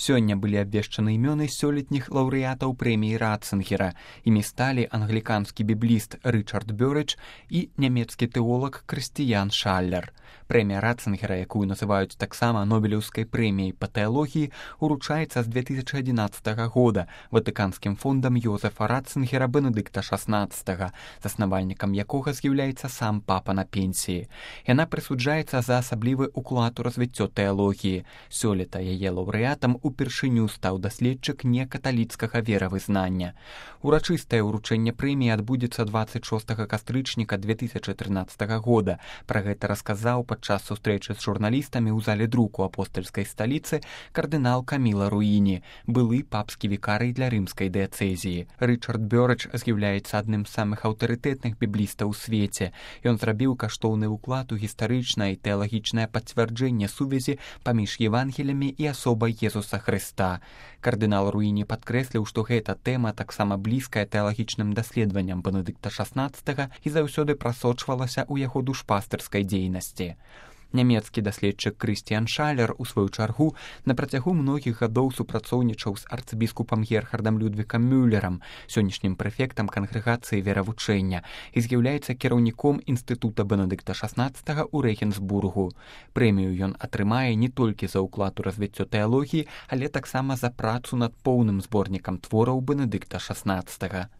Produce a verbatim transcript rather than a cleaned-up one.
Сёння былі абвешчаны імёны сёлетніх лаўрэатаў прэміі Ратцынгера. Імі сталі англіканскі бібліст Рычард Бёрэч і нямецкі тэолог Крыстыян Шаллер. Прэмія Ратцынгера, якую называюць таксама Нобелеўскай прэміяй па тэалогіі, уручаецца з две тысячы адзінаццатага года Ватыканскім фондам Йозефа Ратцынгера Бенедыкта шаснаццатага, заснавальнікам якога з'яўляецца сам папа на пенсіі. Яна прысуджаецца за асаблівы ўклад у развіццё тэалогіі. Сёлета яе лаўрэатам упершыню стаў даследчык некаталіцкага веравызнання. Урачыстае ўручэнне прэміі адбудзецца дваццаць шостага кастрычніка две тысячы трынаццатага года. Пра гэта расказаў падчас сустрэчы з журналістамі ў зале друку апостальскай сталіцы кардынал Каміла Руіні, былы папскі вікарый для рымскай дыяцэзіі. Рычард Бёрэч з'яўляецца адным з самых аўтарытэтных біблістаў у свеце. Ён зрабіў каштоўны ўклад у гістарычнае і тэалагічнае пацвярджэнне сувязі паміж Евангелямі і асобай Езуса Хрыста. Кардынал Руіні падкрэсліў, што гэта тэма таксама блізкая тэалагічным даследаванням Бенедыкта шаснаццатага і заўсёды прасочвалася ў яго душпастырскай дзейнасці. Нямецкі даследчык Крыстыян Шаллер, у сваю чаргу, на працягу многіх гадоў супрацоўнічаў з арцыбіскупам Герхардам Людвікам Мюллерам, сённяшнім прэфектам кангрэгацыі веравучэння, і з'яўляецца кіраўніком інстытута Бенедыкта шаснаццатага ў Рэгенсбургу. Прэмію ён атрымае не толькі за ўклад у развіццё тэалогіі, але таксама за працу над поўным зборнікам твораў Бенедыкта шаснаццатага.